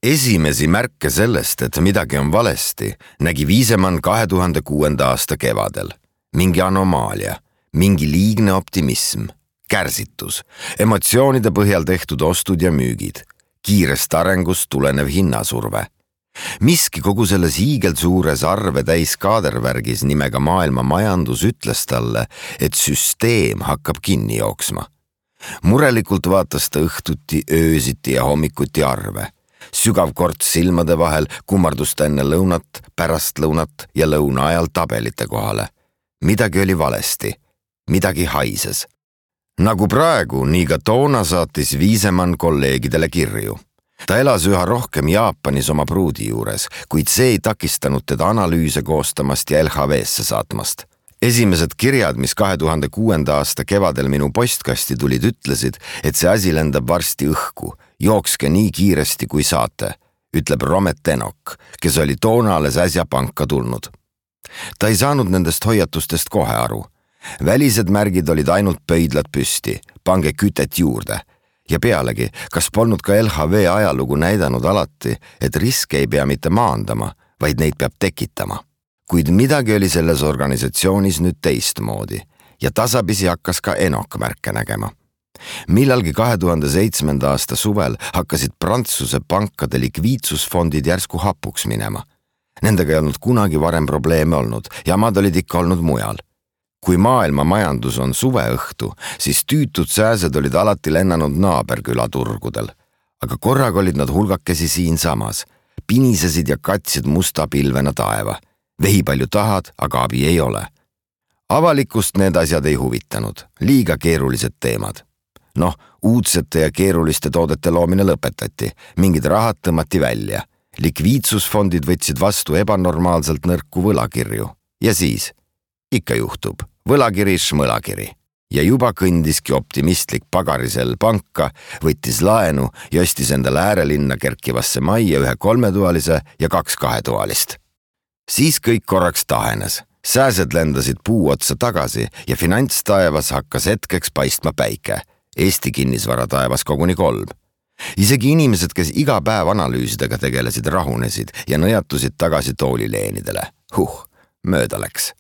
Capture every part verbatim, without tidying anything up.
Esimesi märke sellest, et midagi on valesti, nägi Viisemann kahe tuhande kuuenda aasta kevadel. Mingi anomaalia, mingi liigne optimism, kärsitus, emotsioonide põhjal tehtud ostud ja müügid, kiirest arengust tulenev hinnasurve. Miski kogu selles hiigelsuures arve täis kaadervärgis nimega maailma majandus ütles talle, et süsteem hakkab kinni jooksma. Murelikult vaatas ta õhtuti, öösiti ja hommikuti arve. Sügav korts silmade vahel kummardus ta enne lõunat, pärast lõunat ja lõuna ajal tabelite kohale. Midagi oli valesti, midagi haises. Nagu praegu, nii ka toona saatis Viisemann kolleegidele kirju. Ta elas üha rohkem Jaapanis oma pruudi juures, kuid see ei takistanud teda analüüse koostamast ja L H V-sse saatmast. Esimesed kirjad, mis kahe tuhande kuuenda aasta kevadel minu postkasti tulid, ütlesid, et see asi lendab varsti õhku, jookske nii kiiresti kui saate, ütleb Romet Enok, kes oli toona alles äsja panka tulnud. Ta ei saanud nendest hoiatustest kohe aru. Välised märgid olid ainult pöidlad püsti, pange kütet juurde. Ja pealegi, kas polnud ka L H V ajalugu näidanud alati, et riske ei pea mitte maandama, vaid neid peab tekitama. Kuid midagi oli selles organisatsioonis nüüd teistmoodi ja tasapisi hakkas ka Enok märke nägema. Millalgi kahe tuhande seitsmenda aasta suvel hakkasid Prantsuse pankade likviidsusfondid järsku hapuks minema. Nendega ei olnud kunagi varem probleeme olnud ja maad olid ikka olnud mujal. Kui maailma majandus on suveõhtu, siis tüütud sääsed olid alati lennanud naaberküla turgudel. Aga korraga olid nad hulgakesi siin samas, pinisesid ja katsid musta pilvena taeva. Vehi palju tahad, aga abi ei ole. Avalikust need asjad ei huvitanud, liiga keerulised teemad. Noh, uudsete ja keeruliste toodete loomine lõpetati, mingid rahad tõmmati välja. Likviidsusfondid võtsid vastu ebanormaalselt nõrku võlakirju. Ja siis, ikka juhtub, võlakiri šmõlakiri. Ja juba kõndiski optimistlik pagarisel panka, võttis laenu ja ostis endale äärelinna kerkivasse majja ühe kolmetualise ja kaks kahetoalist. Siis kõik korraks tahenes, sääsed lendasid puu otsa tagasi ja finantstaevas hakkas hetkeks paistma päike, Eesti kinnisvara taevas koguni kolm. Isegi inimesed, kes iga päev analüüsidega tegelesid, rahunesid ja nõjatusid tagasi toolileenidele. Huh, mööda läks.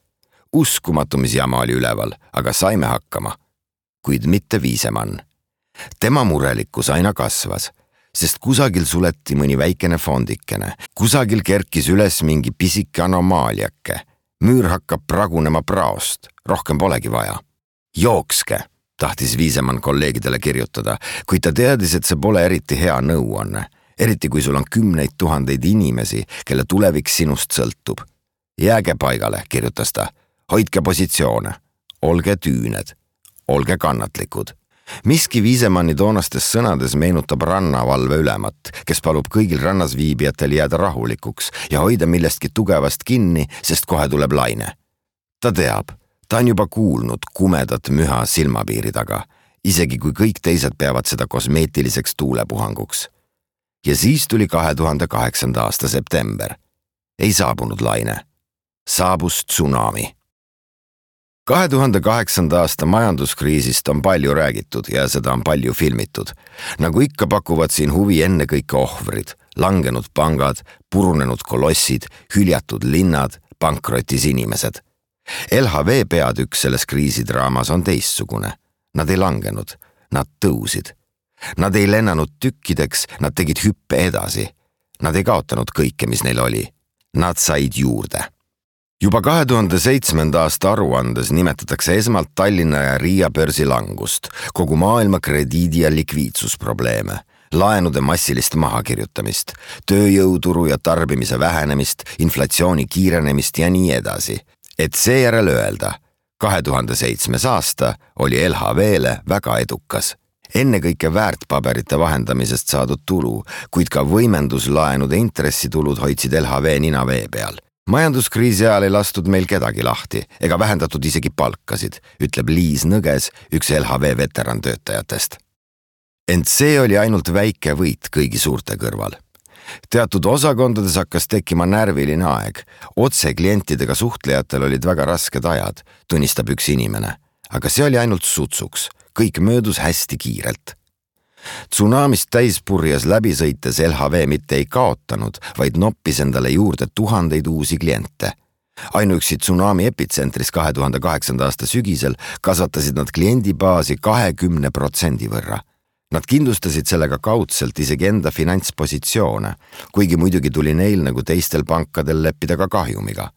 Uskumatu, mis jama oli üleval, aga saime hakkama. Kuid mitte Viisemann. Tema murelikkus aina kasvas. Sest kusagil suleti mõni väikene fondikene, kusagil kerkis üles mingi pisike anomaaliake. Müür hakkab pragunema praost, rohkem polegi vaja. Jookske, tahtis Viisemann kolleegidele kirjutada, kuid ta teadis, et see pole eriti hea nõuanne, eriti kui sul on kümneid tuhandeid inimesi, kelle tulevik sinust sõltub. Jääge paigale, kirjutas ta, hoidke positsioone, olge tüüned, olge kannatlikud. Miski Viisemanni toonastes sõnades meenutab rannavalve ülemat, kes palub kõigil rannas viibijatel jääda rahulikuks ja hoida millestki tugevast kinni, sest kohe tuleb laine. Ta teab, ta on juba kuulnud kumedat müha silmapiiri taga, isegi kui kõik teised peavad seda kosmeetiliseks tuulepuhanguks. Ja siis tuli kahe tuhande kaheksanda aasta september. Ei saabunud laine. Saabus tsunami. kahe tuhande kaheksanda aasta majanduskriisist on palju räägitud ja seda on palju filmitud. Nagu ikka pakuvad siin huvi enne kõike ohvrid, langenud pangad, purunenud kolossid, hüljatud linnad, pankrotis inimesed. L H V peatükk selles kriisidraamas on teistsugune. Nad ei langenud, nad tõusid. Nad ei lennanud tükkideks, nad tegid hüppe edasi. Nad ei kaotanud kõike, mis neil oli. Nad said juurde. Juba kahe tuhande seitsmenda aasta aruandes nimetatakse esmalt Tallinna ja Riia börsi langust, kogu maailma krediidi- ja likviidsusprobleeme, laenude massilist mahakirjutamist, tööjõuturu ja tarbimise vähenemist, inflatsiooni kiirenemist ja nii edasi. Et seejärel öelda, kahe tuhande seitsmes aasta oli L H V-le väga edukas. Enne kõike väärtpaberite vahendamisest saadud tulu, kuid ka võimenduslaenude intressitulud hoidsid L H V nina vee peal. Majanduskriisi ajal ei lastud meil kedagi lahti ega vähendatud isegi palkasid, ütleb Liis Nõges, üks L H V veteran töötajatest. Ent see oli ainult väike võit kõigi suurte kõrval. Teatud osakondades hakkas tekkima närviline aeg. Otse klientidega suhtlejatel olid väga rasked ajad, tunnistab üks inimene. Aga see oli ainult sutsuks. Kõik möödus hästi kiirelt. Tsunamist täispurjas läbi sõites L H V mitte ei kaotanud, vaid noppis endale juurde tuhandeid uusi kliente. Ainuüksi tsunami epitsentris kahe tuhande kaheksanda aasta sügisel kasvatasid nad kliendibaasi kahekümne protsendi võrra. Nad kindlustasid sellega kaudselt isegi enda finantspositsioone, kuigi muidugi tuli neil nagu teistel pankadel leppida ka kahjumiga.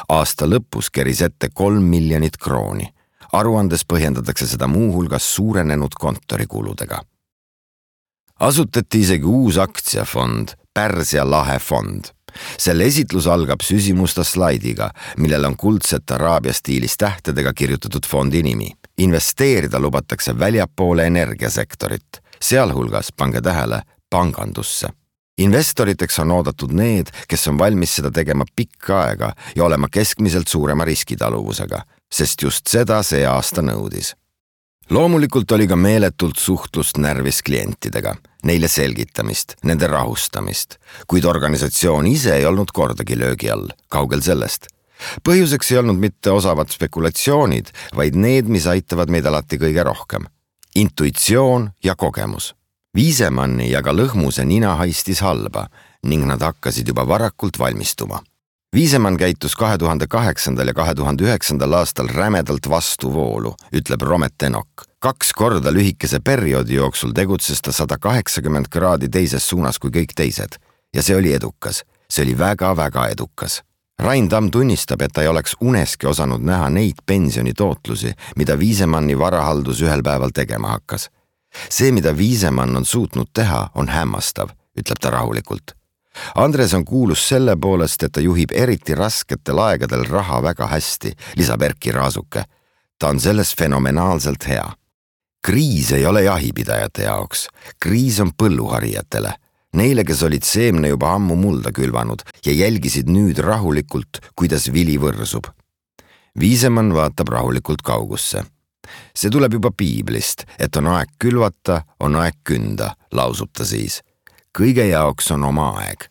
Aasta lõpus keris ette kolm miljonit krooni. Aruandes põhjendatakse seda muuhulgas suurenenud kontorikuludega. Asutati isegi uus aktsiafond, Pärsia lahe fond. Selle esitlus algab süsimusta slaidiga, millel on kuldset araabia stiilis tähtedega kirjutatud fondi nimi. Investeerida lubatakse väljapoole energiasektorit, sealhulgas, pange tähele, pangandusse. Investoriteks on oodatud need, kes on valmis seda tegema pikka aega ja olema keskmiselt suurema riskitaluvusega, sest just seda see aasta nõudis. Loomulikult oli ka meeletult suhtlust närvis klientidega, neile selgitamist, nende rahustamist, kuid organisatsioon ise ei olnud kordagi löögi all, kaugel sellest. Põhjuseks ei olnud mitte osavad spekulatsioonid, vaid need, mis aitavad meid alati kõige rohkem. Intuitsioon ja kogemus. Viisemanni ja ka Lõhmuse nina haistis halba ning nad hakkasid juba varakult valmistuma. Viisemann käitus kahe tuhande kaheksandal ja kahe tuhande üheksandal aastal rämedalt vastuvoolu, ütleb Romet Enok. Kaks korda lühikese perioodi jooksul tegutses ta sada kaheksakümmend kraadi teises suunas kui kõik teised. Ja see oli edukas. See oli väga-väga edukas. Rain Tamm tunnistab, et ta ei oleks uneski osanud näha neid pensionitootlusi, mida Viisemanni varahaldus ühel päeval tegema hakkas. See, mida Viisemann on suutnud teha, on hämmastav, ütleb ta rahulikult. Andres on kuulus selle poolest, et ta juhib eriti rasketel aegadel raha väga hästi, lisab Erki Raasuke. Ta on selles fenomenaalselt hea. Kriis ei ole jahipidajate jaoks, kriis on põlluharijatele. Neile, kes olid seemne juba ammu mulda külvanud ja jälgisid nüüd rahulikult, kuidas vili võrsub. Viisemann vaatab rahulikult kaugusse. See tuleb juba piiblist, et on aeg külvata, on aeg künda, lausub ta siis. Kõige jaoks on oma aeg.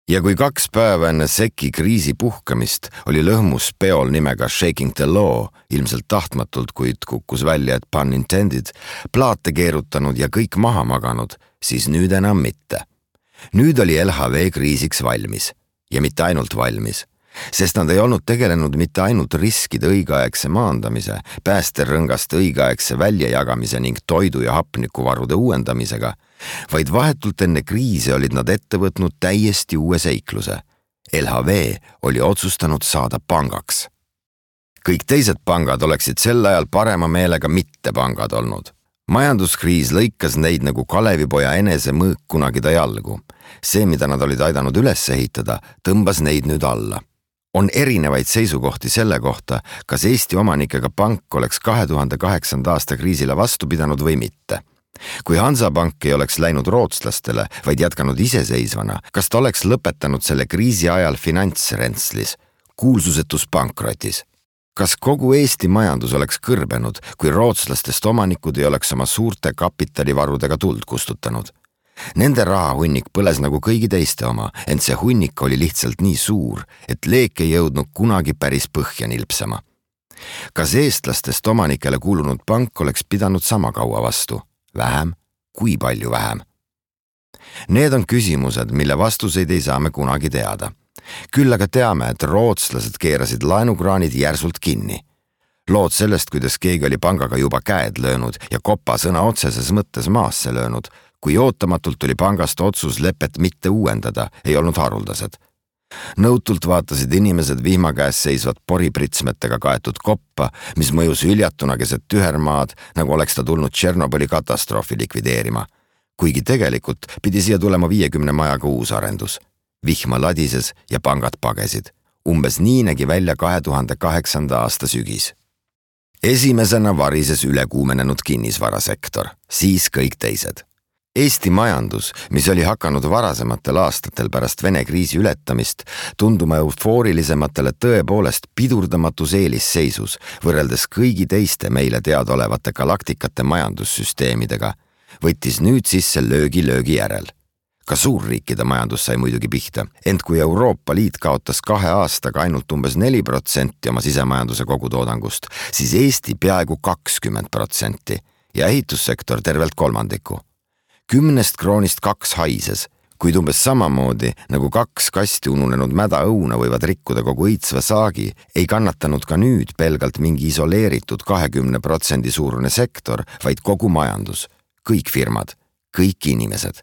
Ja kui kaks päeva enne seki kriisi puhkamist oli Lõhmus peol nimega Shaking the Law, ilmselt tahtmatult, kuid kukkus välja, et pun intended, plaate keerutanud ja kõik maha maganud, siis nüüd enam mitte. Nüüd oli L H V kriisiks valmis. Ja mitte ainult valmis. Sest nad ei olnud tegelenud mitte ainult riskide õigeaegse maandamise, päästerõngast õigeaegse väljajagamise ning toidu- ja hapnikuvarude uuendamisega, vaid vahetult enne kriisi olid nad ette võtnud täiesti uue seikluse. L H V oli otsustanud saada pangaks. Kõik teised pangad oleksid sel ajal parema meelega mitte pangad olnud. Majanduskriis lõikas neid nagu Kalevipoja enese mõõk kunagi ta jalgu. See, mida nad olid aidanud üles ehitada, tõmbas neid nüüd alla. On erinevaid seisukohti selle kohta, kas Eesti omanikega pank oleks kahe tuhande kaheksanda aasta kriisile vastu pidanud või mitte. Kui Hansapank ei oleks läinud rootslastele, vaid jätkanud iseseisvana, kas ta oleks lõpetanud selle kriisi ajal finantsrentslis, kuulsusetus pankrotis? Kas kogu Eesti majandus oleks kõrbenud, kui rootslastest omanikud ei oleks oma suurte kapitalivarudega tuld kustutanud? Nende rahahunnik põles nagu kõigi teiste oma, ent see hunnik oli lihtsalt nii suur, et leek ei jõudnud kunagi päris põhja nilpsama. Kas eestlastest omanikele kuulunud pank oleks pidanud sama kaua vastu? Vähem? Kui palju vähem? Need on küsimused, mille vastuseid ei saa me kunagi teada. Küll aga teame, et rootslased keerasid laenukraanid järsult kinni. Lood sellest, kuidas keegi oli pangaga juba käed löönud ja kopa sõna otseses mõttes maasse löönud, kui ootamatult tuli pangast otsus lepet mitte uuendada, ei olnud haruldased. Nõutult vaatasid inimesed vihma käes seisvat poripritsmetega kaetud koppa, mis mõjus üljatuna keset tühermaad, nagu oleks ta tulnud Tšernobõli katastroofi likvideerima. Kuigi tegelikult pidi siia tulema viiekümne majaga uus arendus. Vihma ladises ja pangad pagesid. Umbes nii nägi välja kahe tuhande kaheksanda aasta sügis. Esimesena varises ülekuumenenud kinnisvarasektor, siis kõik teised. Eesti majandus, mis oli hakanud varasematel aastatel pärast Vene kriisi ületamist, tunduma eufoorilisematele tõepoolest pidurdamatus eelisseisus võrreldes kõigi teiste meile teadaolevate galaktikate majandussüsteemidega, võttis nüüd sisse löögi löögi järel. Ka suurriikide majandus sai muidugi pihta, ent kui Euroopa Liit kaotas kahe aastaga ainult umbes neli protsenti oma sisemajanduse kogutoodangust, siis Eesti peaaegu kakskümmend protsenti ja ehitussektor tervelt kolmandiku. Kümnest kroonist kaks haises, kuid umbes samamoodi nagu kaks kasti ununenud mäda õuna võivad rikkuda kogu õitsva saagi, ei kannatanud ka nüüd pelgalt mingi isoleeritud kahekümne protsendi suurune sektor, vaid kogu majandus, kõik firmad, kõik inimesed.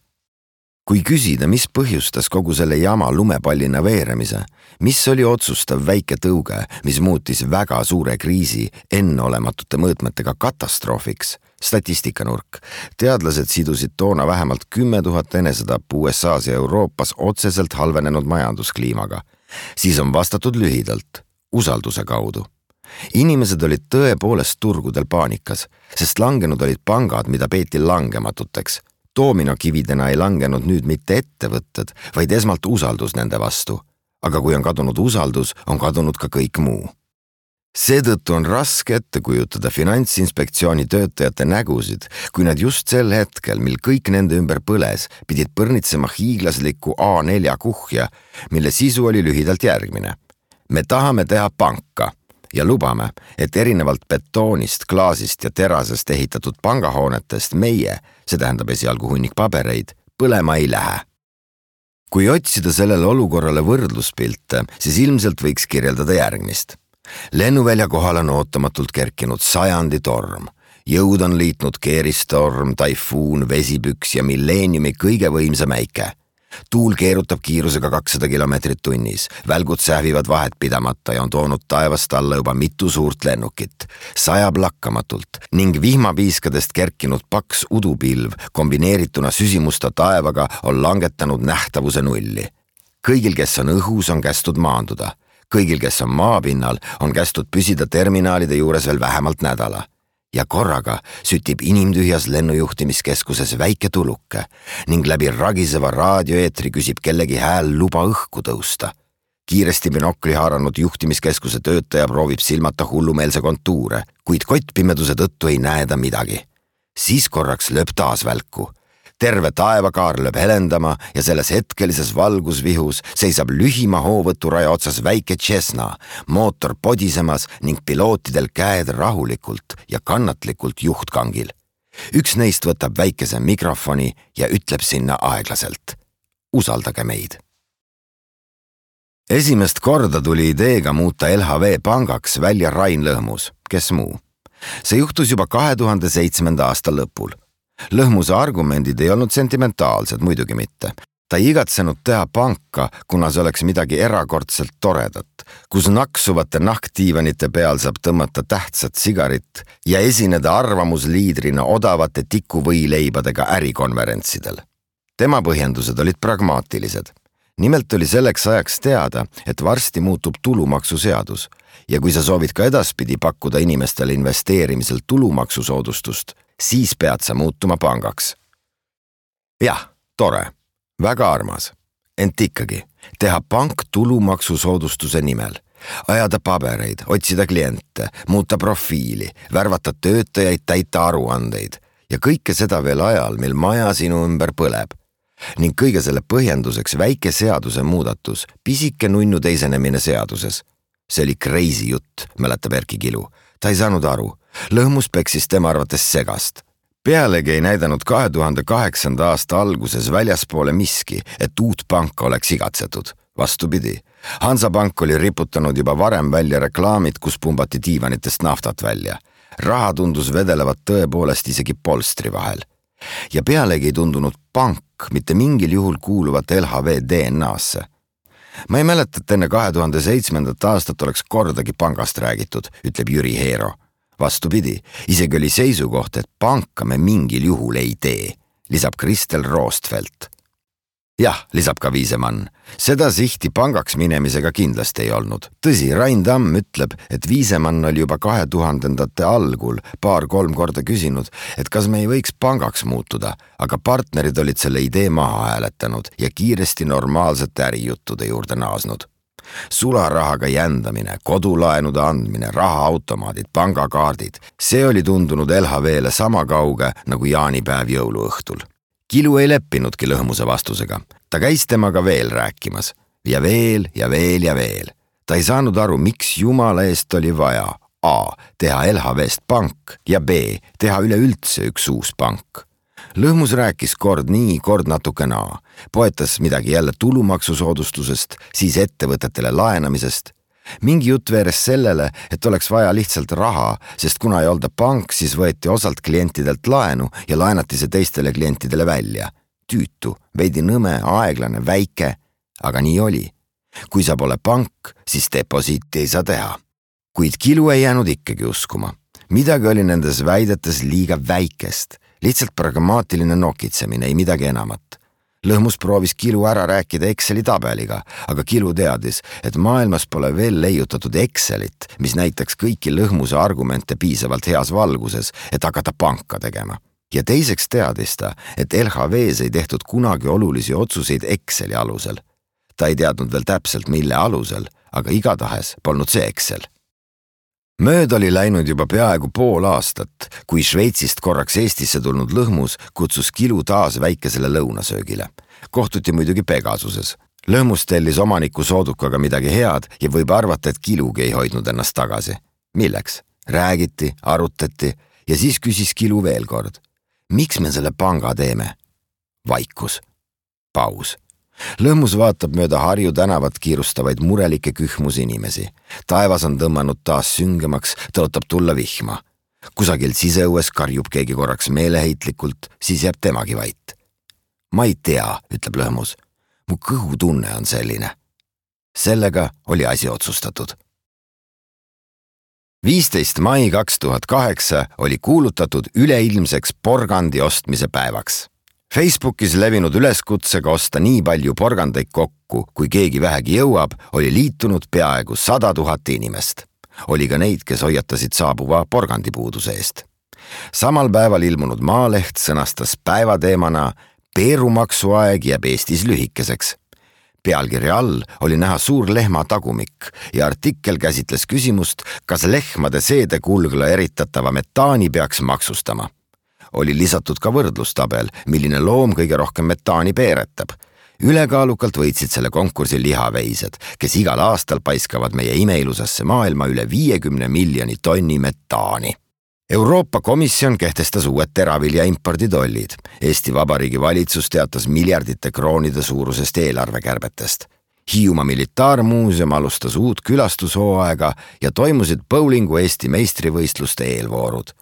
Kui küsida, mis põhjustas kogu selle jama lumepallina veeremise, mis oli otsustav väike tõuge, mis muutis väga suure kriisi enneolematute mõõtmetega katastroofiks, statistikanurk, teadlased sidusid toona vähemalt kümme tuhat enesetappu U S A's ja Euroopas otseselt halvenenud majanduskliimaga, siis on vastatud lühidalt, usalduse kaudu. Inimesed olid tõepoolest turgudel paanikas, sest langenud olid pangad, mida peeti langematuteks. Doominokividena ei langenud nüüd mitte ettevõtted, vaid esmalt usaldus nende vastu. Aga kui on kadunud usaldus, on kadunud ka kõik muu. Seetõttu on raske ette kujutada Finantsinspektsiooni töötajate nägusid, kui nad just sel hetkel, mil kõik nende ümber põles, pidid põrnitsema hiiglaslikku A nelja kuhja, mille sisu oli lühidalt järgmine. Me tahame teha panka ja lubame, et erinevalt betoonist, klaasist ja terasest ehitatud pangahoonetest meie, see tähendab esialgu hunnik pabereid, põlema ei lähe. Kui otsida sellele olukorrale võrdluspilte, siis ilmselt võiks kirjeldada järgmist. Lennuvälja kohal on ootamatult kerkinud sajandi torm. Jõud on liitnud keeristorm, taifuun, vesipüks ja milleeniumi kõige võimsam äike. Tuul keerutab kiirusega kakssada kilomeetrit tunnis, välgud sähvivad vahet pidamata ja on toonud taevast alla juba mitu suurt lennukit. Sajab lakkamatult ning vihmapiiskadest kerkinud paks udupilv kombineerituna süsimusta taevaga on langetanud nähtavuse nulli. Kõigil, kes on õhus, on kästud maanduda. Kõigil, kes on maapinnal, on kästud püsida terminaalide juures veel vähemalt nädala. Ja korraga sütib inimtühjas lennujuhtimiskeskuses väike tuluke ning läbi ragiseva raadioeetri küsib kellegi hääl luba õhku tõusta. Kiiresti binokli haaranud juhtimiskeskuse töötaja proovib silmata hullumeelse kontuure, kuid kottpimeduse tõttu ei näe ta midagi. Siis korraks lööb taas välku. Terve taevakaar lööb helendama ja selles hetkelises valgusvihus seisab lühima hoovõturaja otsas väike Cessna, mootor podisemas ning pilootidel käed rahulikult ja kannatlikult juhtkangil. Üks neist võtab väikese mikrofoni ja ütleb sinna aeglaselt. Usaldage meid. Esimest korda tuli ideega muuta L H V pangaks välja Rain Lõhmus, kes muu. See juhtus juba kahe tuhande seitsmenda aasta lõpul. Lõhmuse argumendid ei olnud sentimentaalsed, muidugi mitte. Ta ei igatsenud teha panka, kuna see oleks midagi erakordselt toredat, kus naksuvate nahktiivanite peal saab tõmmata tähtsat sigarit ja esineda arvamusliidrina odavate tikuvõileibadega ärikonverentsidel. Tema põhjendused olid pragmaatilised. Nimelt oli selleks ajaks teada, et varsti muutub tulumaksuseadus ja kui sa soovid ka edaspidi pakkuda inimestele investeerimisel tulumaksusoodustust, siis pead sa muutuma pangaks. Jah, tore, väga armas, ent ikkagi teha pank tulumaksusoodustuse nimel, ajada pabereid, otsida kliente, muuta profiili, värvata töötajaid, täita aruandeid ja kõike seda veel ajal, mil maja sinu ümber põleb. Ning kõige selle põhjenduseks väike seaduse muudatus, pisike nunnu teisenemine seaduses. See oli crazy jutt, mäletab Erki Kilu. Ta ei saanud aru. Lõhmus peksis tema arvates segast. Pealegi ei näidanud kahe tuhande kaheksanda aasta alguses väljaspoole miski, et uut panka oleks igatsetud. Vastupidi, Hansapank oli riputanud juba varem välja reklaamid, kus pumbati diivanitest naftat välja. Raha tundus vedelevat tõepoolest isegi polstri vahel. Ja pealegi ei tundunud pank mitte mingil juhul kuuluvat L H V D N A-sse. Ma ei mäleta, et enne kahe tuhande seitsmendat aastat oleks kordagi pangast räägitud, ütleb Jüri Heero. Vastupidi, isegi oli seisukoht, et panka me mingil juhul ei tee, lisab Kristel Roostfelt. Jah, lisab ka Viisemann. Seda sihti pangaks minemisega kindlasti ei olnud. Tõsi, Rain Tamm ütleb, et Viisemann oli juba kahe tuhandendate algul paar-kolm korda küsinud, et kas me ei võiks pangaks muutuda, aga partnerid olid selle idee maha hääletanud ja kiiresti normaalsete ärijuttude juurde naasnud. Sularahaga jändamine, kodulaenude andmine, rahaautomaadid, pangakaardid, see oli tundunud L H V-le sama kauge nagu jaanipäev jõuluõhtul. Kilu ei leppinudki Lõhmuse vastusega. Ta käis temaga veel rääkimas. Ja veel ja veel ja veel. Ta ei saanud aru, miks jumala eest oli vaja A. teha L H V-st pank ja B. teha üleüldse üks uus pank. Lõhmus rääkis kord nii, kord natuke naa. Poetas midagi jälle tulumaksusoodustusest, siis ettevõtetele laenamisest. Mingi jutt veeres sellele, et oleks vaja lihtsalt raha, sest kuna ei olda pank, siis võeti osalt klientidelt laenu ja laenati see teistele klientidele välja. Tüütu, veidi nõme, aeglane, väike, aga nii oli. Kui sa pole pank, siis deposiiti ei saa teha. Kuid Kilu ei jäänud ikkagi uskuma. Midagi oli nendes väidetes liiga väikest. Lihtsalt pragmaatiline nokitsemine, ei midagi enamat. Lõhmus proovis Kilu ära rääkida Exceli tabeliga, aga Kilu teadis, et maailmas pole veel leiutatud Excelit, mis näitaks kõiki Lõhmuse argumente piisavalt heas valguses, et hakata panka tegema. Ja teiseks teadis ta, et L H V-s ei tehtud kunagi olulisi otsuseid Exceli alusel. Ta ei teadnud veel täpselt, mille alusel, aga igatahes polnud see Excel. Mööd oli läinud juba peaaegu pool aastat, kui Šveitsist korraks Eestisse tulnud Lõhmus kutsus Kilu taas väikesele lõunasöögile. Kohtuti muidugi Pegasuses. Lõhmus tellis omaniku soodukaga midagi head ja võib arvata, et Kilugi ei hoidnud ennast tagasi. Milleks? Räägiti, arutati ja siis küsis Kilu veel kord. Miks me selle panga teeme? Vaikus. Paus. Lõhmus vaatab mööda Harju tänavat kiirustavaid murelikke kühmus inimesi. Taevas on tõmmanud taas süngemaks, tõotab tulla vihma. Kusagil siseõues karjub keegi korraks meeleheitlikult, siis jääb temagi vait. Ma ei tea, ütleb Lõhmus. Mu kõhutunne on selline. Sellega oli asi otsustatud. viisteist mai kaks tuhat kaheksa oli kuulutatud üleilmseks porgandi ostmise päevaks. Facebookis levinud üleskutsega osta nii palju porgandeid kokku, kui keegi vähegi jõuab, oli liitunud peaaegu sada tuhat inimest. Oli ka neid, kes hoiatasid saabuva porgandipuuduse eest. Samal päeval ilmunud Maaleht sõnastas päevateemana Peerumaksuaeg jääb Eestis lühikeseks. Pealkirja all oli näha suur lehma tagumik ja artikkel käsitles küsimust, kas lehmade seedekulgla eritatava metaani peaks maksustama. Oli lisatud ka võrdlustabel, milline loom kõige rohkem metaani peeretab. Ülekaalukalt võitsid selle konkursi lihaveised, kes igal aastal paiskavad meie imeilusasse maailma üle viiekümne miljoni tonni metaani. Euroopa Komisjon kehtestas uued teravilja imporditollid. Eesti Vabariigi valitsus teatas miljardite kroonide suurusest eelarvekärbetest. Hiiumaa Militaarmuuseum alustas uut külastushooaega ja toimusid bowlingu Eesti meistrivõistluste eelvoorud.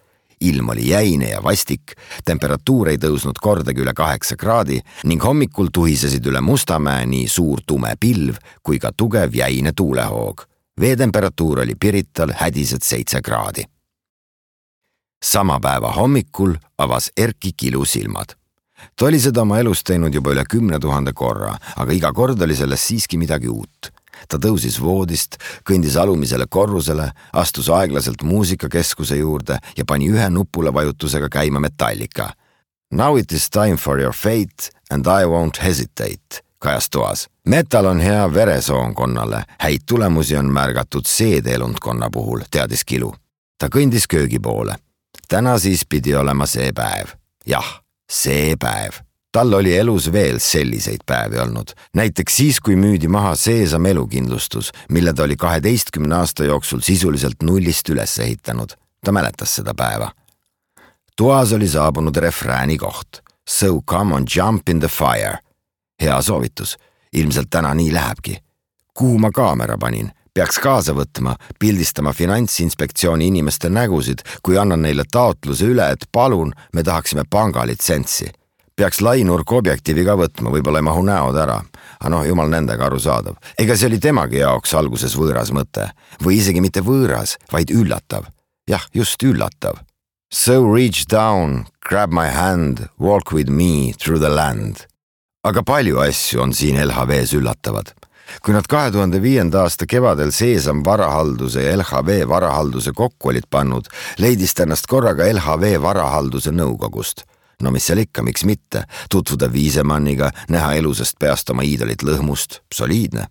Ilm oli jäine ja vastik, temperatuur ei tõusnud kordagi üle kaheksa kraadi ning hommikul tuhisesid üle Mustamäe nii suur tume pilv kui ka tugev jäine tuulehoog. Veetemperatuur oli Pirital hädised seitse kraadi. Sama päeva hommikul avas Erki Kilu silmad. Ta oli seda oma elus teinud juba üle kümne tuhande korra, aga iga kord oli sellest siiski midagi uut. Ta tõusis voodist, kõndis alumisele korrusele, astus aeglaselt muusikakeskuse juurde ja pani ühe nupule vajutusega käima Metallica. Now it is time for your fate and I won't hesitate, kajas toas. Metal on hea veresoonkonnale, häid tulemusi on märgatud seedeelundkonna puhul, teadis Kilu. Ta kõndis köögi poole. Täna siis pidi olema see päev. Jah, see päev. Tal oli elus veel selliseid päevi olnud. Näiteks siis, kui müüdi maha Seesam elukindlustus, mille ta oli kaheteistkümne aasta jooksul sisuliselt nullist üles ehitanud. Ta mäletas seda päeva. Toas oli saabunud refrääni koht. So come on, jump in the fire. Hea soovitus. Ilmselt täna nii lähebki. Kuhu ma kaamera panin? Peaks kaasa võtma, pildistama Finantsinspektsiooni inimeste nägusid, kui annan neile taotluse üle, et palun, me tahaksime pangalitsentsi. Peaks lainurk objektiivi ka võtma, võib-olla ei mahu näod ära. Aga noh, jumal nendega aru saadav. Ega see oli temagi jaoks alguses võõras mõte. Või isegi mitte võõras, vaid üllatav. Jah, just üllatav. So reach down, grab my hand, walk with me through the land. Aga palju asju on siin L H V-s üllatavad. Kui nad kahe tuhande viienda aasta kevadel Seesam varahalduse ja L H V varahalduse kokku olid pannud, leidis ennast korraga L H V varahalduse nõukogust. No mis seal ikka, miks mitte, tutvuda Viisemanniga, näha elusast peast oma iidolit Lõhmust, soliidne.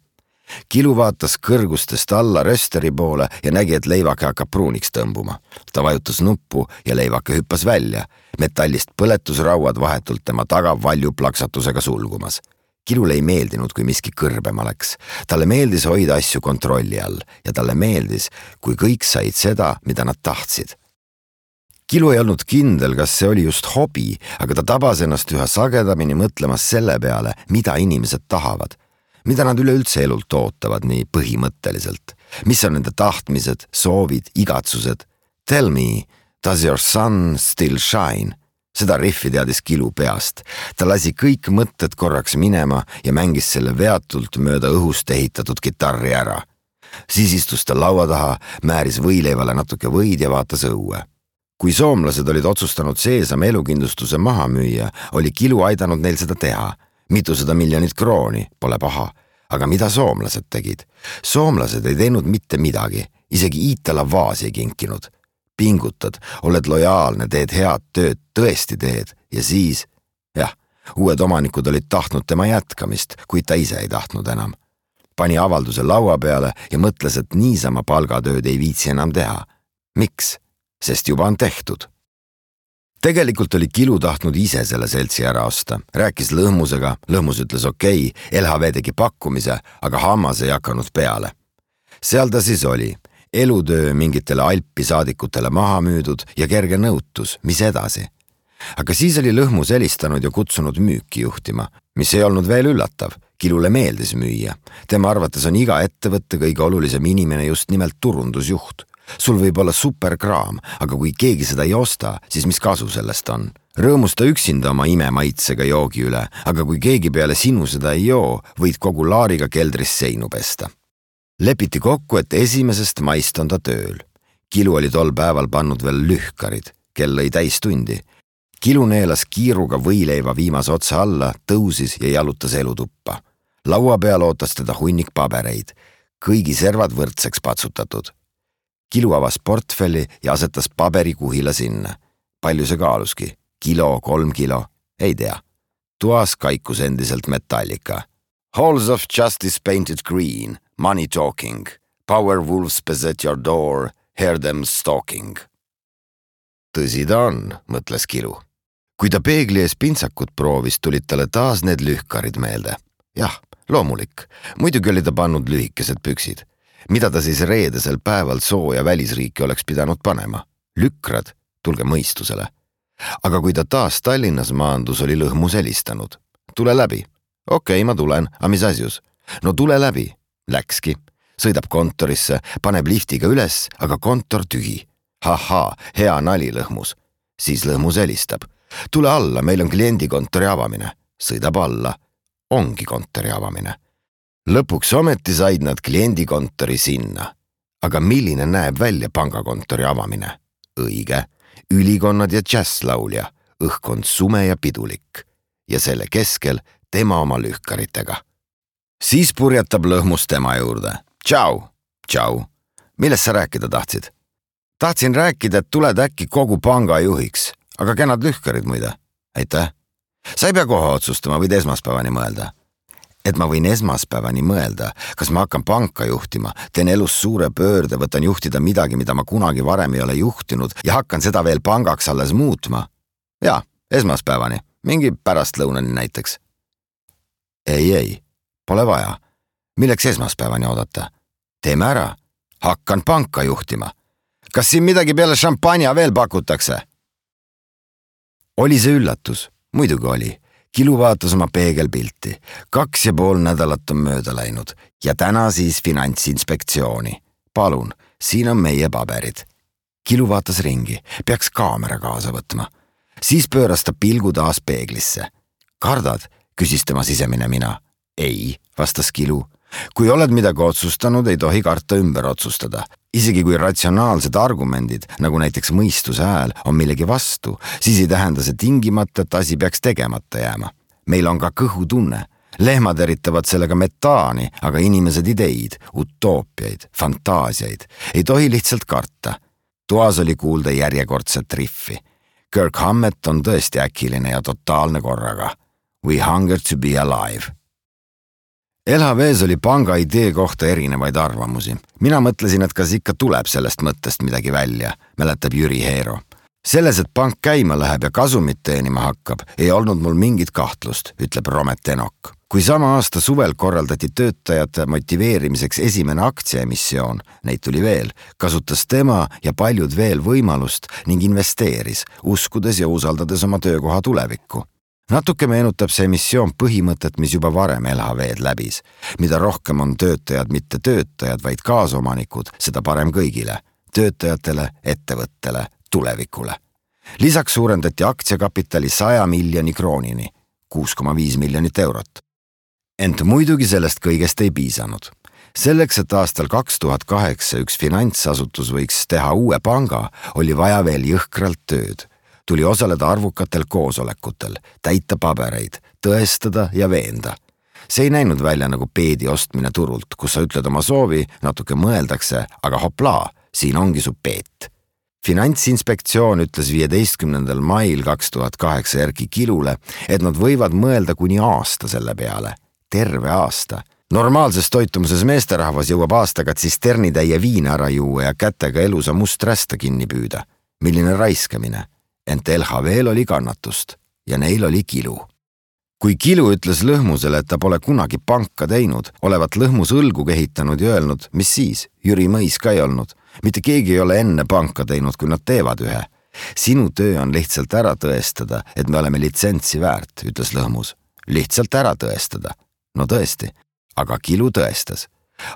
Kilu vaatas kõrgustest alla rösteri poole ja nägi, et leivake hakkab pruuniks tõmbuma. Ta vajutas nuppu ja leivake hüppas välja. Metallist põletusrauad vahetult tema taga valju plaksatusega sulgumas. Kilule ei meeldinud, kui miski kõrbema läks. Talle meeldis hoida asju kontrolli all ja talle meeldis, kui kõik said seda, mida nad tahtsid. Kilu ei olnud kindel, kas see oli just hobi, aga ta tabas ennast üha sagedamini mõtlemas selle peale, mida inimesed tahavad. Mida nad üleüldse elult ootavad nii põhimõtteliselt. Mis on nende tahtmised, soovid, igatsused? Tell me, does your sun still shine? Seda riffi teadis Kilu peast. Ta lasi kõik mõtted korraks minema ja mängis selle veatult mööda õhust ehitatud kitarri ära. Siis istus ta laua taha, määris võileivale natuke võid ja vaatas õue. Kui soomlased olid otsustanud seesama elukindlustuse maha müüa, oli Kilu aidanud neil seda teha. Mitusada miljonit krooni, pole paha. Aga mida soomlased tegid? Soomlased ei teinud mitte midagi, isegi Iitala vaasi ei kinkinud. Pingutad, oled lojaalne, teed head tööd, tõesti teed ja siis, jah, uued omanikud olid tahtnud tema jätkamist, kuid ta ise ei tahtnud enam. Pani avalduse laua peale ja mõtles, et niisama palgatööd ei viitsi enam teha. Miks? Sest juba on tehtud. Tegelikult oli Kilu tahtnud ise selle seltsi ära osta. Rääkis lõhmusega, lõhmus ütles okei, L H V tegi pakkumise, aga hammas ei hakanud peale. Seal ta siis oli. Elutöö mingitele Alpi saadikutele maha müüdud ja kerge nõutus, mis edasi. Aga siis oli lõhmus helistanud ja kutsunud müüki juhtima, mis ei olnud veel üllatav. Kilule meeldis müüa. Tema arvates on iga ettevõtte kõige olulisem inimene just nimelt turundusjuht. Sul võib olla superkraam, aga kui keegi seda ei osta, siis mis kasu sellest on? Rõõmusta üksinda oma imemaitsega joogi üle, aga kui keegi peale sinu seda ei joo, võid kogu laariga keldris seinu pesta. Lepiti kokku, et esimesest maist on ta tööl. Kilu oli tol päeval pannud veel lühkarid, kell lõi täis tundi. Kilu neelas kiiruga võileiva viimase otsa alla, tõusis ja jalutas elutuppa. Laua peal ootas teda hunnik pabereid, kõigi servad võrdseks patsutatud. Kilu avas portfelli ja asetas paberikuhila sinna. Palju see kaaluski? Kilo, kolm kilo? Ei tea. Tuas kaikus endiselt metallika. Halls of justice painted green, money talking. Power wolves beset your door, hear them stalking. Tõsi ta on, mõtles Kilu. Kui ta peegli ees pintsakut proovis, tulid talle taas need lühkarid meelde. Jah, loomulik. Muidugi oli ta pannud lühikesed püksid. Mida ta siis reedesel päeval sooja välisriiki oleks pidanud panema? Lükrad, tulge mõistusele. Aga kui ta taas Tallinnas maandus, oli lõhmus helistanud. Tule läbi. Okei, ma tulen, aga mis asjus? No tule läbi. Läkski. Sõidab kontorisse, paneb liftiga üles, aga kontor tühi. Haha, hea nali lõhmus. Siis lõhmus helistab. Tule alla, meil on kliendikontori avamine. Sõidab alla. Ongi kontori avamine. Lõpuks ometi said nad kliendikontori sinna. Aga milline näeb välja pangakontori avamine? Õige, ülikonnad ja džässlaulja, õhkond sume ja pidulik. Ja selle keskel tema oma lühkaritega. Siis purjetab lõhmus tema juurde. Tšau, tšau. Millest sa rääkida tahtsid? Tahtsin rääkida, et tuled äkki kogu panga juhiks, aga kenad lühkarid muide. Aitäh. Sa ei pea kohe otsustama, võid esmaspäevani mõelda. Et ma võin esmaspäevani mõelda, kas ma hakkan panka juhtima, teen elus suure pöörde, võtan juhtida midagi, mida ma kunagi varem ei ole juhtinud ja hakkan seda veel pangaks alles muutma. Jaa, esmaspäevani, mingi pärastlõunani näiteks. Ei, ei, pole vaja. Milleks esmaspäevani oodata? Teeme ära. Hakkan panka juhtima. Kas siin midagi peale šampanja veel pakutakse? Oli see üllatus? Muidugi oli. Kilu vaatas oma peegelpilti. Kaks ja pool nädalat on mööda läinud ja täna siis finantsinspektsiooni. Palun, siin on meie paberid. Kilu vaatas ringi, peaks kaamera kaasa võtma. Siis pööras ta pilgu taas peeglisse. Kardad, küsis tema sisemine mina. Ei, vastas Kilu. Kui oled midagi otsustanud, ei tohi karta ümber otsustada. Isegi kui ratsionaalsed argumendid, nagu näiteks mõistuse hääl, on millegi vastu, siis ei tähenda see tingimata, et asi peaks tegemata jääma. Meil on ka kõhutunne. Lehmad eritavad sellega metaani, aga inimesed ideid, utoopiaid, fantaasiaid. Ei tohi lihtsalt karta. Toas oli kuulda järjekordset riffi. Kirk Hammett on tõesti äkiline ja totaalne korraga. We hunger to be alive. L H V's oli panga idee kohta erinevaid arvamusi. Mina mõtlesin, et kas ikka tuleb sellest mõttest midagi välja, mäletab Jüri Heero. Selles, et pank käima läheb ja kasumit teenima hakkab, ei olnud mul mingit kahtlust, ütleb Romet Enok. kui sama aasta suvel korraldati töötajate motiveerimiseks esimene aktsiaemissioon, neid tuli veel, kasutas tema ja paljud veel võimalust ning investeeris, uskudes ja usaldades oma töökoha tulevikku. Natuke meenutab see emissioon põhimõtet, mis juba varem L H V-d läbis. Mida rohkem on töötajad mitte töötajad, vaid kaasomanikud, seda parem kõigile. Töötajatele, ettevõttele, tulevikule. Lisaks suurendati aktsiakapitali saja miljoni kroonini, kuus koma viis miljonit eurot. Ent muidugi sellest kõigest ei piisanud. Selleks, et aastal kaks tuhat kaheksa üks finantsasutus võiks teha uue panga, oli vaja veel jõhkralt tööd. Tuli osaleda arvukatel koosolekutel, täita pabereid, tõestada ja veenda. See ei näinud välja nagu peedi ostmine turult, kus sa ütled oma soovi, natuke mõeldakse, aga hoplaa, siin ongi su peet. Finantsinspektsioon ütles viieteistkümnendal mail kaks tuhat kaheksa Erki Kilule, et nad võivad mõelda kuni aasta selle peale. Terve aasta. Normaalses toitumuses meesterahvas jõuab aastaga tsisternitäie viina ära juua ja kätega elusa must rästa kinni püüda. Milline raiskamine. Ent L H V-l oli kannatust ja neil oli Kilu. Kui Kilu ütles Lõhmusele, et ta pole kunagi panka teinud, olevat Lõhmus õlgu kehitanud ja öelnud, mis siis, Jüri Mõis ka ei olnud. Mitte keegi ei ole enne panka teinud, kui nad teevad ühe. Sinu töö on lihtsalt ära tõestada, et me oleme litsentsi väärt, ütles Lõhmus. Lihtsalt ära tõestada. No tõesti, aga Kilu tõestas.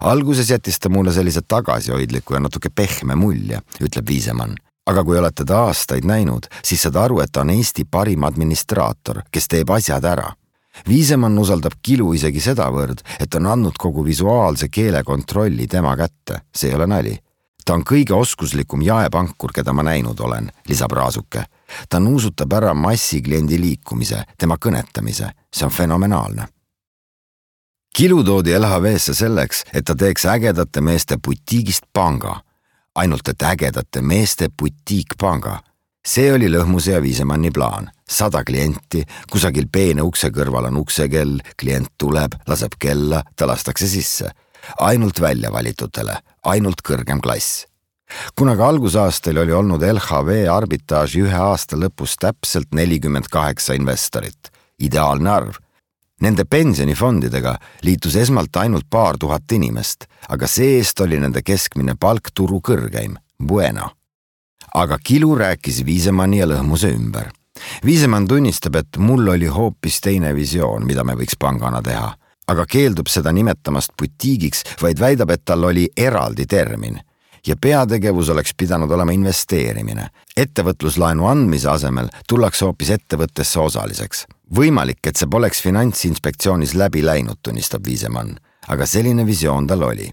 Alguses jättis ta mulle sellise tagasihoidliku ja natuke pehme mulje, ütleb Viisemann. Aga kui olete ta aastaid näinud, siis saad aru, et ta on Eesti parim administraator, kes teeb asjad ära. Viisemann usaldab Kilu isegi sedavõrd, et on andnud kogu visuaalse keele kontrolli tema kätte. See ei ole nali. Ta on kõige oskuslikum jaepankur, keda ma näinud olen, lisab Raasuke. Ta nuusutab ära massikliendi liikumise, tema kõnetamise. See on fenomenaalne. Kilu toodi L H V-sse selleks, et ta teeks ägedate meeste butiigist panga. Ainult et ägedate meeste butiikpanga. See oli Lõhmuse ja Viisemanni plaan. Sada klienti, kusagil peene ukse kõrval on uksekell, klient tuleb, laseb kella, ta lastakse sisse. Ainult välja valitutele, ainult kõrgem klass. Kuna ka algusaastal oli olnud L H V arbitraaži ühe aasta lõpus täpselt nelikümmend kaheksa investorit. Ideaalne arv. Nende pensionifondidega liitus esmalt ainult paar tuhat inimest, aga see-eest oli nende keskmine palk turu kõrgeim, Bueno. Aga Kilu rääkis Viisemanni ja Lõhmuse ümber. Viisemann tunnistab, et mul oli hoopis teine visioon, mida me võiks pangana teha, aga keeldub seda nimetamast butiigiks, vaid väidab, et tal oli eraldi termin. Ja peategevus oleks pidanud olema investeerimine. Ettevõtluslaenu andmise asemel tullakse hoopis ettevõttesse osaliseks. Võimalik, et see poleks finantsinspektsioonis läbi läinud, tunnistab Viisemann, aga selline visioon tal oli.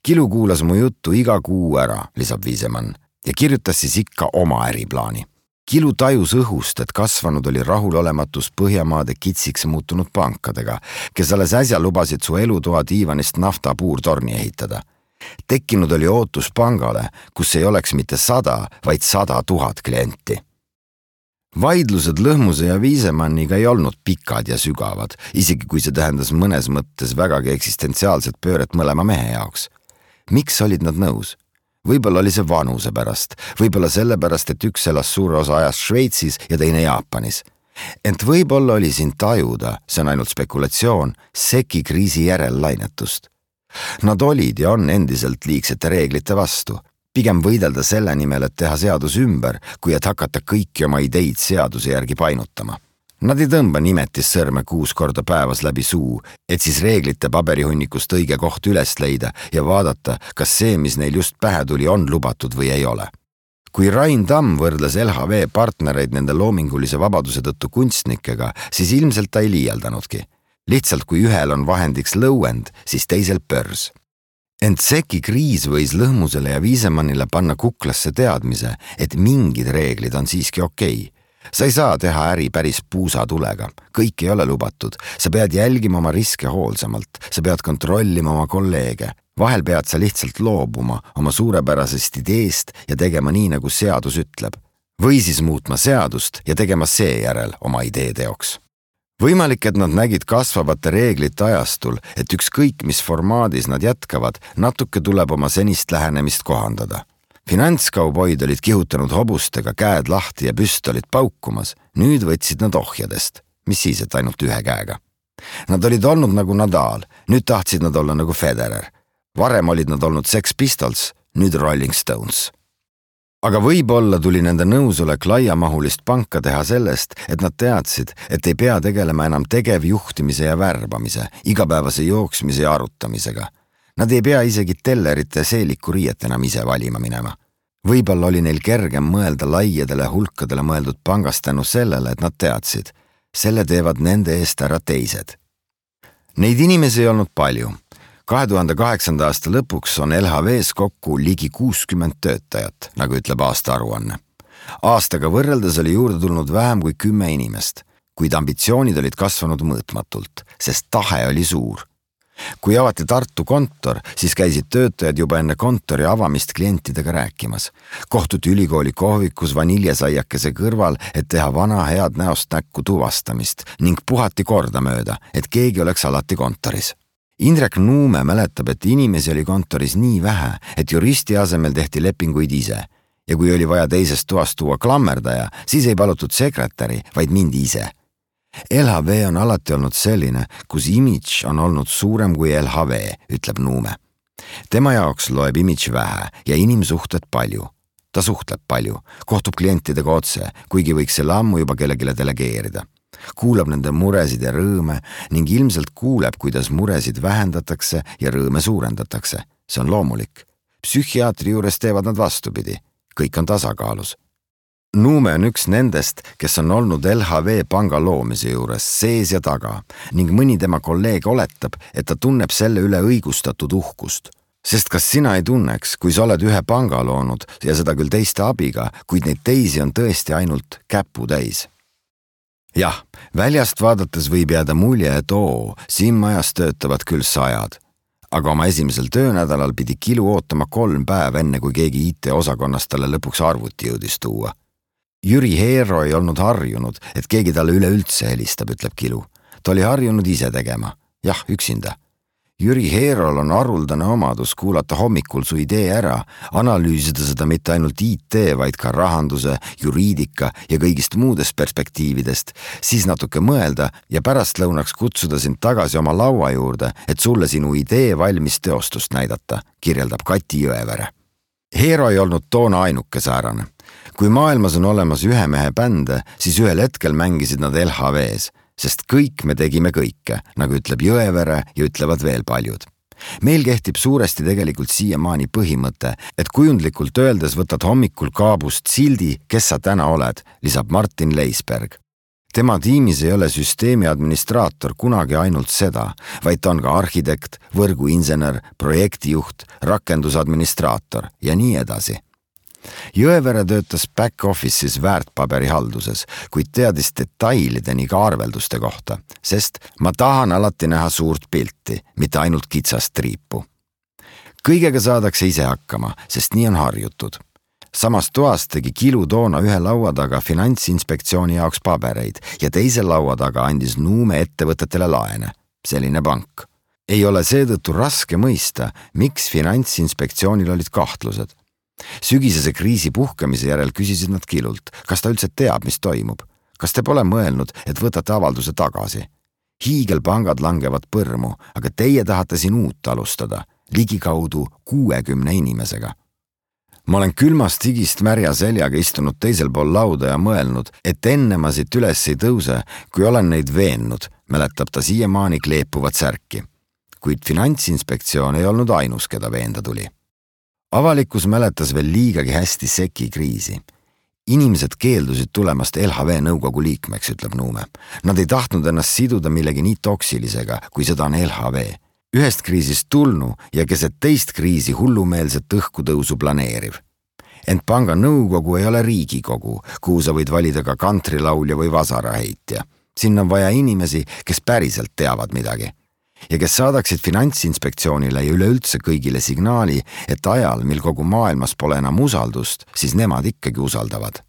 Kilu kuulas mu juttu iga kuu ära, lisab Viisemann, ja kirjutas siis ikka oma äriplaani. Kilu tajus õhust, et kasvanud oli rahulolematus Põhjamaade kitsiks muutunud pankadega, kes alles äsja lubasid su elutoa diivanist naftapuurtorni ehitada. Tekkinud oli ootus pangale, kus ei oleks mitte sada, vaid sada tuhat klienti. Vaidlused Lõhmuse ja Viisemanniga ei olnud pikad ja sügavad, isegi kui see tähendas mõnes mõttes vägagi eksistentsiaalset pööret mõlema mehe jaoks. Miks olid nad nõus? Võib-olla oli see vanuse pärast, võib-olla selle pärast, et üks elas suure osa ajast Šveitsis ja teine Jaapanis. Ent võib-olla oli siin tajuda, see on ainult spekulatsioon, seki kriisi järel lainetust. Nad olid ja on endiselt liigsete reeglite vastu. Pigem võidelda selle nimel, et teha seadus ümber, kui et hakata kõiki oma ideid seaduse järgi painutama. Nad ei tõmba nimetis sõrme kuus korda päevas läbi suu, et siis reeglite paberihunnikust õige koht üles leida ja vaadata, kas see, mis neil just pähe tuli, on lubatud või ei ole. Kui Rain Tamm võrdles L H V partnereid nende loomingulise vabaduse tõttu kunstnikega, siis ilmselt ta ei liialdanudki. Lihtsalt kui ühel on vahendiks lõuend, siis teisel pörs. Ent seki kriis võis Lõhmusele ja Viisemannile panna kuklasse teadmise, et mingid reeglid on siiski okei. Sa ei saa teha äri päris puusatulega, kõik ei ole lubatud, sa pead jälgima oma riske hoolsamalt, sa pead kontrollima oma kolleege, vahel pead sa lihtsalt loobuma oma suurepärasest ideest ja tegema nii, nagu seadus ütleb. Või siis muutma seadust ja tegema seejärel oma idee teoks. Võimalik, et nad nägid kasvavate reeglite ajastul, et ükskõik mis formaadis nad jätkavad, natuke tuleb oma senist lähenemist kohandada. Finantskauboid olid kihutanud hobustega käed lahti ja püstolid paukumas, nüüd võtsid nad ohjadest, mis siis, et ainult ühe käega. Nad olid olnud nagu Nadal, nüüd tahtsid nad olla nagu Federer. Varem olid nad olnud Sex Pistols, nüüd Rolling Stones. Aga võib-olla tuli nende nõusolek laiamahulist panka teha sellest, et nad teadsid, et ei pea tegelema enam tegevjuhtimise ja värbamise, igapäevase jooksmise ja arutamisega. Nad ei pea isegi tellerite seeliku riiet enam ise valima minema. Võib-olla oli neil kergem mõelda laiadele hulkadele mõeldud pangast tänu sellele, et nad teadsid. Selle teevad nende eest ära teised. Neid inimesi ei olnud palju. kahe tuhande kaheksanda aasta lõpuks on L H V's kokku ligi kuuskümmend töötajat, nagu ütleb aasta aruanne. Aastaga võrreldes oli juurde tulnud vähem kui kümme inimest, kuid ambitsioonid olid kasvanud mõõtmatult, sest tahe oli suur. Kui avati Tartu kontor, siis käisid töötajad juba enne kontori avamist klientidega rääkimas. Kohtuti ülikooli kohvikus vaniljesaiakese kõrval, et teha vana head näost näkku tuvastamist ning puhati korda mööda, et keegi oleks alati kontoris. Indrek Nuume mäletab, et inimesi oli kontoris nii vähe, et juristi asemel tehti lepinguid ise. Ja kui oli vaja teisest toast tuua klammerdaja, siis ei palutud sekretäri, vaid mindi ise. L H V on alati olnud selline, kus imidž on olnud suurem kui L H V, ütleb Nuume. Tema jaoks loeb imidž vähe ja inimsuhted palju. Ta suhtleb palju, kohtub klientidega otse, kuigi võiks selle ammu juba kellegile delegeerida. Kuulab nende muresid ja rõõme ning ilmselt kuuleb, kuidas muresid vähendatakse ja rõõme suurendatakse. See on loomulik. Psühhiaatri juures teevad nad vastupidi. Kõik on tasakaalus. Nuume on üks nendest, kes on olnud L H V panga loomise juures sees ja taga ning mõni tema kolleeg oletab, et ta tunneb selle üle õigustatud uhkust. Sest kas sina ei tunneks, kui sa oled ühe panga loonud ja seda küll teiste abiga, kuid neid teisi on tõesti ainult käpu täis? Jah, väljast vaadates võib jääda mulje, et oo, siin majas töötavad küll sajad. Aga oma esimesel töönädalal pidi Kilu ootama kolm päeva enne, kui keegi I T-osakonnast talle lõpuks arvuti jõudis tuua. Jüri Heero ei olnud harjunud, et keegi talle üleüldse helistab, ütleb Kilu. Ta oli harjunud ise tegema. Jah, üksinda. Jüri Heerol on haruldane omadus kuulata hommikul su idee ära, analüüsida seda mitte ainult I T, vaid ka rahanduse, juriidika ja kõigist muudest perspektiividest, siis natuke mõelda ja pärast lõunaks kutsuda sind tagasi oma laua juurde, et sulle sinu idee valmis teostust näidata, kirjeldab Kati Jõevere. Heero ei olnud toona ainuke säärane. Kui maailmas on olemas ühe mehe bände, siis ühel hetkel mängisid nad L H V's, sest kõik me tegime kõike, nagu ütleb Jõevere ja ütlevad veel paljud. Meil kehtib suuresti tegelikult siiamaani põhimõte, et kujundlikult öeldes võtad hommikul kaabust sildi, kes sa täna oled, lisab Martin Leisberg. Tema tiimis ei ole süsteemi administraator kunagi ainult seda, vaid ta on ka arhitekt, võrguinsener, projektijuht, rakendusadministraator ja nii edasi. Jõevere töötas back-office'is väärtpaberihalduses, kuid teadis detailideni ka arvelduste kohta, sest ma tahan alati näha suurt pilti, mitte ainult kitsast triipu. Kõigega saadakse ise hakkama, sest nii on harjutud. Samas toas tegi Kilu toona ühe laua taga Finantsinspektsiooni jaoks pabereid ja teise laua taga andis Nuume ettevõtetele laene. Selline pank. Ei ole seetõttu raske mõista, miks Finantsinspektsioonil olid kahtlused. Sügisese kriisi puhkemise järel küsisid nad Kilult, kas ta üldse teab, mis toimub. Kas te pole mõelnud, et võtate avalduse tagasi? Hiigelpangad langevad põrmu, aga teie tahate siin uut alustada, ligikaudu kuuekümne inimesega. Ma olen külmast higist märja seljaga istunud teisel pool lauda ja mõelnud, et enne ma siit üles ei tõuse, kui olen neid veennud, mäletab ta siiamaani kleepuvat särki. Kuid Finantsinspektsioon ei olnud ainus, keda veenda tuli. Avalikkus mäletas veel liigagi hästi seki kriisi. Inimesed keeldusid tulemast L H V nõukogu liikmeks, ütleb Nuume. Nad ei tahtnud ennast siduda millegi nii toksilisega, kui seda on L H V. Ühest kriisist tulnu ja keset teist kriisi hullumeelset õhkutõusu planeeriv. Ent panga nõukogu ei ole riigikogu, kuhu sa võid valida ka kantrilaulja või vasaraheitja. Siin on vaja inimesi, kes päriselt teavad midagi. Ja kes saadaksid Finantsinspektsioonile ja üleüldse kõigile signaali, et ajal, mil kogu maailmas pole enam usaldust, siis nemad ikkagi usaldavad.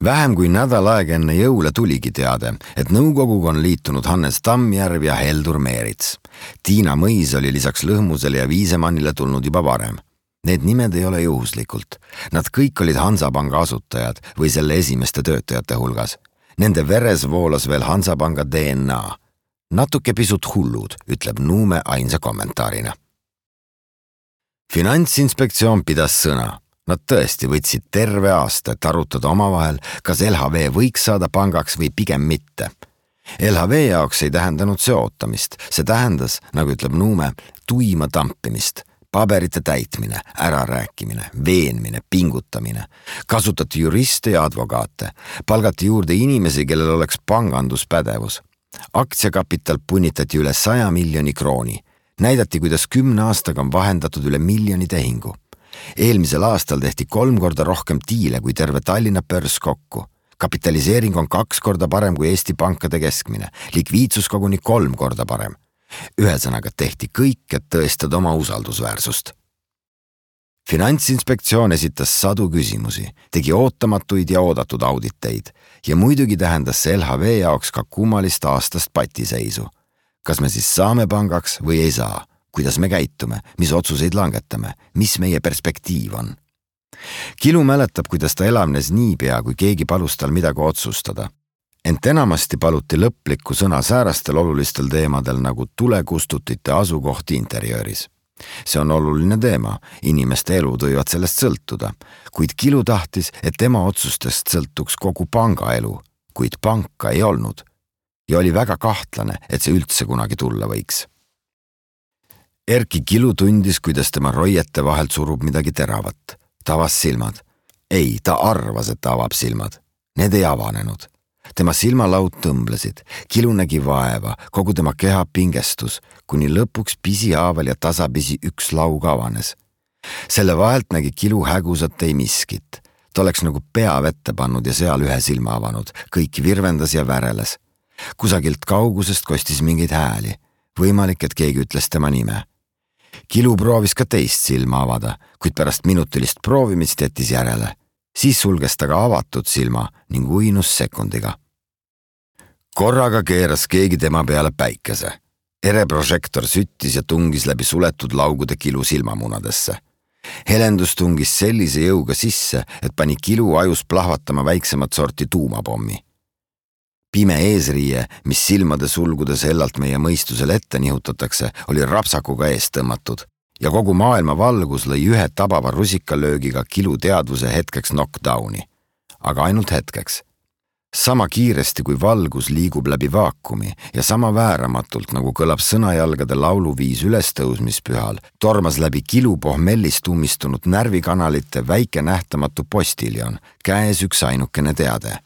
Vähem kui nädal aega enne jõule tuligi teade, et nõukoguga on liitunud Hannes Tammjärv ja Heldur Meerits. Tiina Mõis oli lisaks Lõhmusele ja Viisemannile tulnud juba varem. Need nimed ei ole juhuslikult. Nad kõik olid Hansapanga asutajad või selle esimeste töötajate hulgas. Nende veres voolas veel Hansapanga D N A. Natuke pisut hullud, ütleb Nuume ainsa kommentaarina. Finantsinspektsioon pidas sõna. Nad tõesti võtsid terve aasta, et arutada omavahel, kas L H V võiks saada pangaks või pigem mitte. L H V jaoks ei tähendanud see ootamist. See tähendas, nagu ütleb Nuume, tuima tampimist, paberite täitmine, ärarääkimine, veenmine, pingutamine. Kasutati juriste ja advokaate. Palgati juurde inimesi, kellel oleks panganduspädevus. Aktsiakapital punnitati üle saja miljoni krooni. Näidati, kuidas kümne aastaga on vahendatud üle miljoni tehingu. Eelmisel aastal tehti kolm korda rohkem diile kui terve Tallinna börs kokku. Kapitaliseering on kaks korda parem kui Eesti pankade keskmine. Likviidsus koguni kolm korda parem. Ühesõnaga tehti kõik, et tõestada oma usaldusväärsust. Finantsinspektsioon esitas sadu küsimusi, tegi ootamatuid ja oodatud auditeid ja muidugi tähendas see L H V jaoks ka kummalist aastast patiseisu. Kas me siis saame pangaks või ei saa? Kuidas me käitume, mis otsuseid langetame, mis meie perspektiiv on? Kilu mäletab, kuidas ta elavnes niipea, kui keegi palus tal midagi otsustada. Ent enamasti paluti lõplikku sõna säärastel olulistel teemadel nagu tulekustutite asukoht interjööris. See on oluline teema, inimeste elud võivad sellest sõltuda, kuid Kilu tahtis, et tema otsustest sõltuks kogu panga elu, kuid panka ei olnud. Ja oli väga kahtlane, et see üldse kunagi tulla võiks. Erki Kilu tundis, kuidas tema roiete vahelt surub midagi teravat. Ta avas silmad. Ei, ta arvas, et ta avab silmad. Need ei avanenud. Tema silmalaud tõmblesid. Kilu nägi vaeva, kogu tema keha pingestus, kuni lõpuks pisihaaval ja tasapisi üks laug avanes. Selle vahelt nägi Kilu hägusat ei miskit. Ta oleks nagu pea vette pannud ja seal ühe silma avanud. Kõik virvendas ja väreles. Kusagilt kaugusest kostis mingeid hääli. Võimalik, et keegi ütles tema nime. Kilu proovis ka teist silma avada, kuid pärast minutilist proovimist jättis järele. Siis sulges ta ka avatud silma ning uinus sekundiga. Korraga keeras keegi tema peale päikese. Ereprožektor süttis ja tungis läbi suletud laugude Kilu silmamunadesse. Helendus tungis sellise jõuga sisse, et pani Kilu ajus plahvatama väiksemat sorti tuumapommi. Pime eesriie, mis silmade sulgudes hellalt meie mõistusel ette nihutatakse, oli rapsakuga eest tõmmatud ja kogu maailma valgus lõi ühe tabava rusikalöögiga Kilu teadvuse hetkeks knockdowni. Aga ainult hetkeks. Sama kiiresti kui valgus liigub läbi vaakumi ja sama vääramatult, nagu kõlab sõnajalgade lauluviis ülestõusmispühal, tormas läbi Kilu pohmellist ummistunud närvikanalite väike nähtamatu postiljon, käes üks ainukene teade.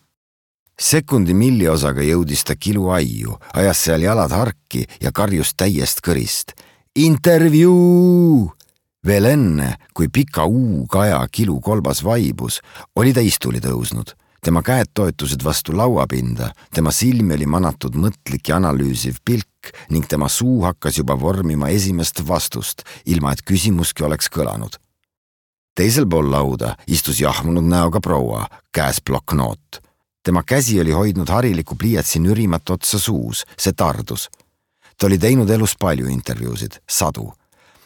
Sekundi milliosaga jõudis ta Kilu aiu, ajas seal jalad harki ja karjus täiest kõrist. Intervjuu! Veel enne, kui pika uu-kaja Kilu kolbas vaibus, oli ta istuli tõusnud. Tema käed toetusid vastu lauapinda, tema silmi oli manatud mõtlik ja analüüsiv pilk ning tema suu hakkas juba vormima esimest vastust, ilma et küsimuski oleks kõlanud. Teisel pool lauda istus jahmunud näoga proua, käes ploknoot. Tema käsi oli hoidnud hariliku pliiatsi nürimat otsa suus, see tardus. Ta oli teinud elus palju intervjuusid, sadu.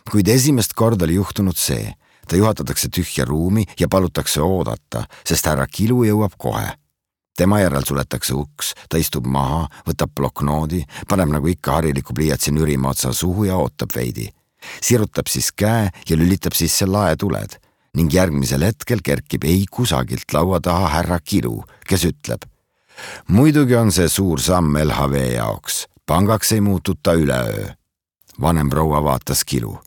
Kuid esimest korda oli juhtunud see. Ta juhatatakse tühja ruumi ja palutakse oodata, sest härra Kilu jõuab kohe. Tema järel suletakse uks, ta istub maha, võtab ploknoodi, paneb nagu ikka hariliku pliiatsi nürima otsa suhu ja ootab veidi. Sirutab siis käe ja lülitab sisse laetuled. Ning järgmisel hetkel kerkib ei kusagilt laua taha härra Kilu, kes ütleb. Muidugi on see suur samm L H V jaoks. Pangaks ei muututa üleöö. Vanem proua vaatas Kilu.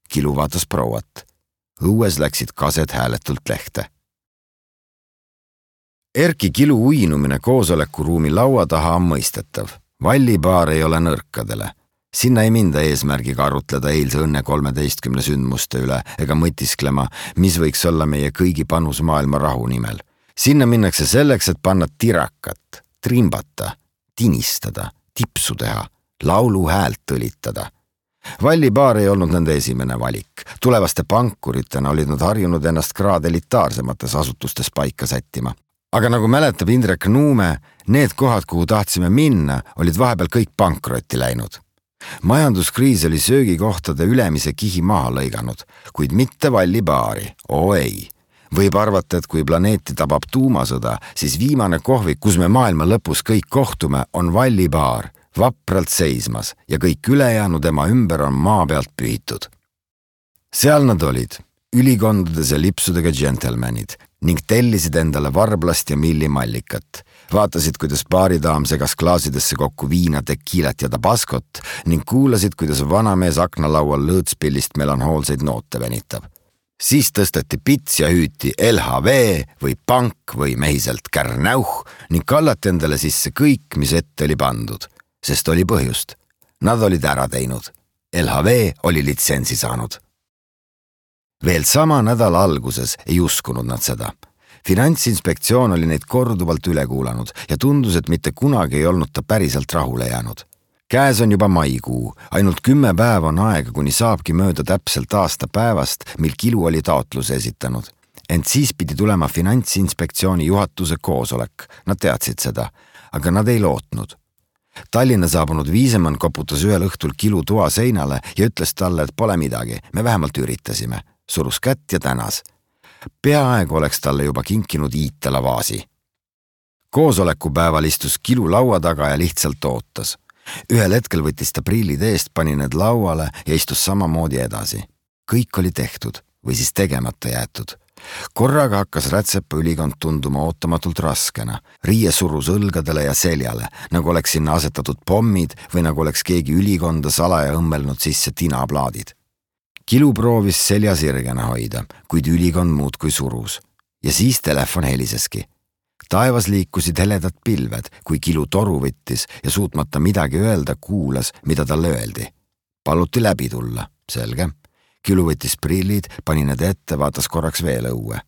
Kilu vaatas prouat. Õues läksid kased hääletult lehte. Erki Kilu uinumine koosolekuruumi laua taha on mõistetav. Vallibaar ei ole nõrkadele. Sinna ei minda eesmärgiga arutleda eilse õnne kolmeteistkümne sündmuste üle ega mõtisklema, mis võiks olla meie kõigi panus maailma rahu nimel. Sinna minnakse selleks, et panna tirakat, trimbata, tinistada, tipsu teha, laulu häält tõlitada. Vallibaar ei olnud nende esimene valik. Tulevaste pankuritena olid nad harjunud ennast kraad elitaarsemates asutustes paika sättima. Aga nagu mäletab Indrek Nuume, need kohad, kuhu tahtsime minna, olid vahepeal kõik pankrotti läinud. Majanduskriis oli söögikohtade ülemise kihi maha lõiganud, kuid mitte Vallibaari, oo ei. Võib arvata, et kui planeeti tabab tuumasõda, siis viimane kohvik, kus me maailma lõpus kõik kohtume, on Vallibaar vapralt seismas ja kõik ülejäänu tema ümber on maa pealt pühitud. Seal nad olid, ülikondades ja lipsudega džentelmenid ning tellisid endale varblast ja millimallikat. Vaatasid, kuidas baaridaam segas klaasidesse kokku viina, tekiilat ja tabaskot ning kuulasid, kuidas vanamees aknalaual lõõtspillist melanhoolseid noote venitab. Siis tõsteti pits ja hüüti L H V või pank või mehiselt kärnauh ning kallati endale sisse kõik, mis ette oli pandud, sest oli põhjust. Nad olid ära teinud. L H V oli litsentsi saanud. Veel sama nädala alguses ei uskunud nad seda. Finantsinspektsioon oli neid korduvalt üle kuulanud ja tundus, et mitte kunagi ei olnud ta päriselt rahule jäänud. Käes on juba maikuu, ainult kümme päeva on aega, kuni saabki mööda täpselt aasta päevast, mil Kilu oli taotluse esitanud. Ent siis pidi tulema Finantsinspektsiooni juhatuse koosolek. Nad teadsid seda, aga nad ei lootnud. Tallinna saabunud Viisemann koputas ühel õhtul Kilu toa seinale ja ütles talle, et pole midagi, me vähemalt üritasime. Surus kätt ja tänas. Peaaegu oleks talle juba kinkinud Iitala vaasi. Koosolekupäeval istus Kilu laua taga ja lihtsalt ootas. Ühel hetkel võttis ta prillid eest, pani need lauale ja istus samamoodi edasi. Kõik oli tehtud või siis tegemata jäetud. Korraga hakkas Rätsepa ülikond tunduma ootamatult raskena. Riie surus õlgadele ja seljale, nagu oleks sinna asetatud pommid või nagu oleks keegi ülikonda salaja õmmelnud sisse tinaplaadid. Kilu proovis selja sirgena hoida, kuid ülikond muudkui surus. Ja siis telefon heliseski. Taevas liikusid heledad pilved, kui Kilu toru võttis ja suutmata midagi öelda, kuulas, mida talle öeldi. Paluti läbi tulla, selge. Kilu võttis prillid, pani need ette, vaatas korraks veel õue.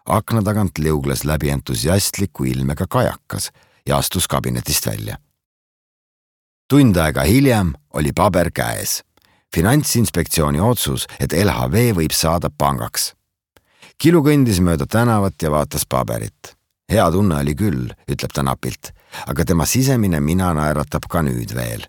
Akna tagant liugles läbi entusiastliku ilmega kajakas ja astus kabinetist välja. Tund aega hiljem oli paber käes. Finantsinspektsiooni otsus, et L H V võib saada pangaks. Kilu kõndis mööda tänavat ja vaatas paberit. Hea tunne oli küll, ütleb ta napilt, aga tema sisemine mina naeratab ka nüüd veel.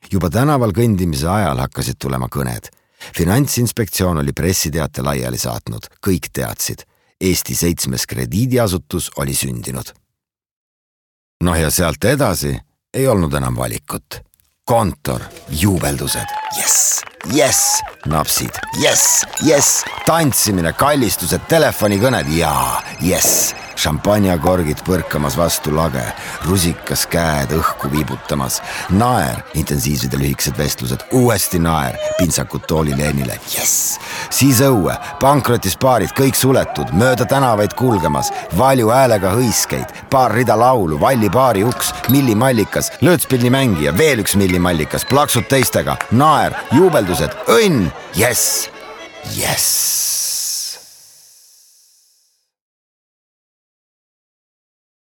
Juba tänaval kõndimise ajal hakkasid tulema kõned. Finantsinspektsioon oli pressiteate laiali saatnud, kõik teadsid. Eesti seitsmes krediidiasutus oli sündinud. Noh ja sealt edasi ei olnud enam valikut. Kontor, juubeldused, jess, jess, napsid, jess, jess, tantsimine, kallistused, telefonikõned, jaa, jess, šampanjakorgid põrkamas vastu lage, rusikas käed õhku viibutamas, naer, intensiivsed ja lühikesed vestlused, uuesti naer, pintsakud tooli leenile, jess, siis õue, pankrotis paarid, kõik suletud, mööda tänavaid kulgemas, valju häälega hõiskeid, paar rida laulu, valli paari uks, millimallikas, lõõtspilli mängija, veel üks millimallikas, plaksud teistega, naer, juubeldused, õnn, jess, jess.